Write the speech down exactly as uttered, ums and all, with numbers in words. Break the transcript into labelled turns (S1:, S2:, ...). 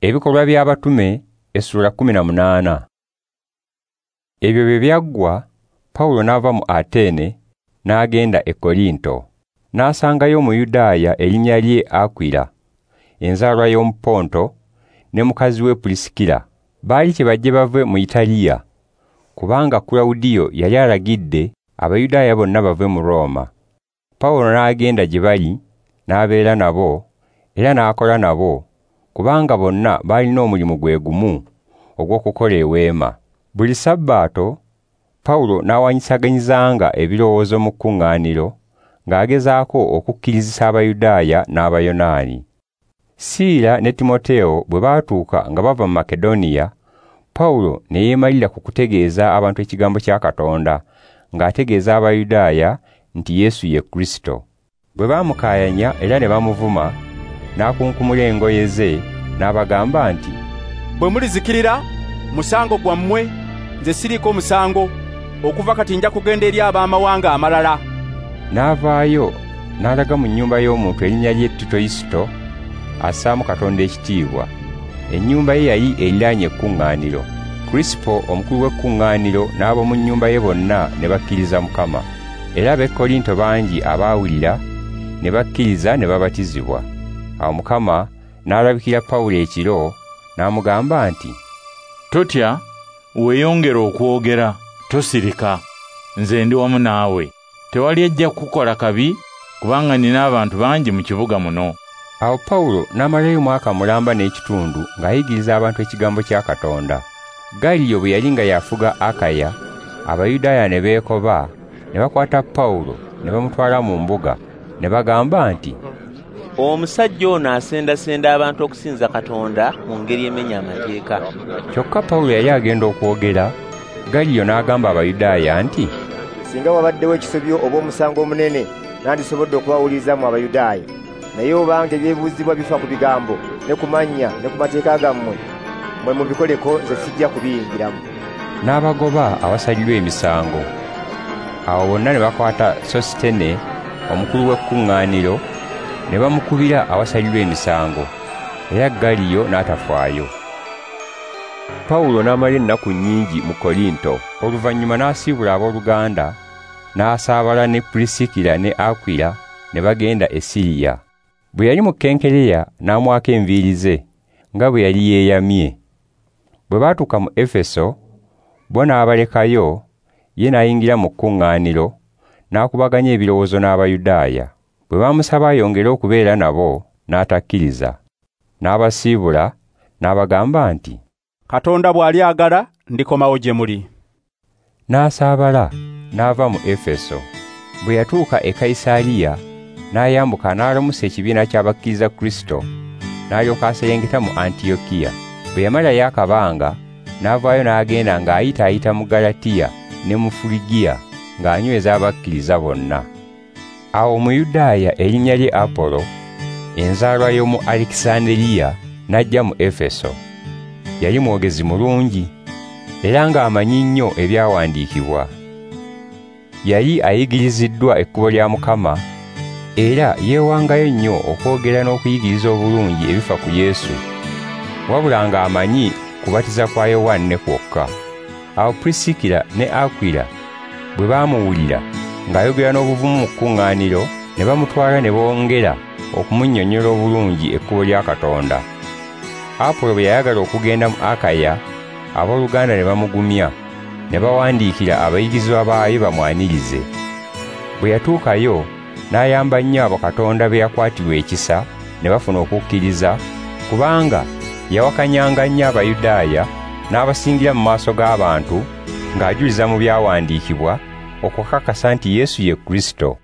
S1: Ebikolwa by'Abatume essula kkumi na munaana. Ebyo bwe byaggwa, Pawulo n'ava mu Atene n'agenda e Korinto. N'asangayo Omuyudaaya erinnya lye Akwila, enzaalwa y'omu Ponto, ne mukazi we Pulisikira. Baali kyebajje bave mu Italiya, kubanga Kulawudiyo yali alagidde Abayudaaya bonna bave mu Rooma. Pawulo n'agenda gye bali, n'abeera nabo, era n'akola nabo, kubanga bonna baalina omulimu gwe gumu ogw'okukola eweema. Buli Sabbaato Pawulo n'awanyisaganyizanga ebirowoozo mu kkuŋŋaaniro, ng'agezaako okukkirizisa Abayudaaya n'Abayonaani. Siira ne Timoteewo bwe baatuuka nga bava mu Makedoniya, Pawulo ne yeemalira ku kutegeeza abantu ekigambo kya Katonda, ng'ategeeza Abayudaaya nti Yesu ye Kristo. Bwe baamukaayanya era ne bamuvuma, n'akunkumula engoye ze n'abagamba nti,
S2: "Bwe mulizikirira, musango gwammwe, nze siriiko musango, okuva kati nja kugenda eri ab'amawanga amalala."
S1: N'avaayo n'alaga mu nnyumba y'omuntu erinnya lye Titoyisito, assaamu Katonda ekitiibwa. Ennyumba ye yali eriraanye ekkuŋŋaaniro. Krisipo omukulu w'ekkuŋŋaaniro n'ab'omu nnyumba ye bonna ne bakkiriza Mukama. Era ab'e Korinto bangi abaawulira ne bakkiriza ne babatizibwa. Awo Mukama n'alabikira Pawulo ekiro n'amugamba nti,
S3: "Totya, weeyongere okwogera, tosirika, nze ndi wamu naawe. Tewali ajja kukukola kabi, kubanga nnina abantu bangi mu kibuga muno."
S1: Awo Pawulo n'amalayo mwaka mulamba n'ekitundu ng'ayigiriza abantu ekigambo kya Katonda. Galiyo bwe yali nga yafuga Akaya, Abayudaaya ne beekoba, ne bakwata Pawulo ne bamutwala mu mbuga, ne bagamba nti,
S4: "Omusajja ono asendasenda abantu okusinza Katonda mu ngeri emenya amateeka."
S1: Kyokka Pawulo yali agenda okwogera, Galiyo n'agamba Abayudaaya nti,
S5: "Singa wabaddewo ekisobyo oba omusango omunene, nandisobodde okubawuliriza mu Abayudaaya. Naye obanga ebyebuuzibwa bifa ku bigambo, ne ku mannya, ne ku mateeka gammwe, mmwe mubikoleko, nze sijja kubiyingiramu."
S1: N'abagoba awasalirwa emisango. Awo bonna ne bakwata Sositene, omukulu w'ekkuŋŋaaniro, ne bamukubira awasalirwa emisango, era Galiyo n'atafaayo. Pawulo n'amala ennaku nnyingi mu Korinto. Oluvannyuma n'asiibula abooluganda, n'asaabala ne Pulisikira ne Akwila ne bagenda e Siriya. Bwe yali mu Kenkereya n'amwako enviiri ze, nga bwe yali yeeyamye. Bwe baatuuka mu Efeso, bo n'abalekayo, ye n'ayingira mu kkuŋŋaaniro, n'akubaganya ebirowoozo n'Abayudaaya. Bwe baamusaba ayongere okubeera nabo, n'atakkiriza. N'abasiibula, n'abagamba nti,
S2: "Katonda bw'alyagala, ndikomawo gye muli."
S1: N'asaabala, n'ava mu Efeso. Bwe yatuuka e Kayisaliya, n'ayambuka n'alamusa ekibiina ky'abakkiriza Kristo, n'alyoka aserengeta mu Antiyokiya. Bwe yamalayo akabanga, n'avaayo n'agenda ng'ayitaayita mu Galatiya ne mu Fuligiya, ng'anyweza abakkiriza bonna. Awo Omuyudaaya erinnya lye Apolo, enzaalwa y'omu Alekisanderiya, n'ajja mu Efeso. Yali mwogezi mulungi, era ng'amanyi nnyo ebyawandiikibwa. Yali ayigiriziddwa ekkubo lya Mukama, era yeewangayo nnyo okwogera n'okuyigiriza obulungi ebifa ku Yesu, wabula ng'amanyi kubatiza kwa Yowanne kwokka. Awo Pulisikira ne Akwila bwe baamuwulira ng'ayogera n'obuvumu mu kkuŋŋaaniro, ne bamutwala ne bongera okumunnyonnyola obulungi ekkubo lya Katonda. Apolo bwe yayagala okugenda mu Akaya, abooluganda ne bamugumya, ne bawandiikira abayigirizwa baayo bamwanirize. Bwe yatuukayo, n'ayamba nnyo abo Katonda be yakwatirwa ekisa ne bafuna okukkiriza, kubanga yawakanyanga nnyo Abayudaaya n'abasingira mu maaso g'abantu ng'ajuliza mu byawandiikibwa okukakasa nti Yesu ye Kristo.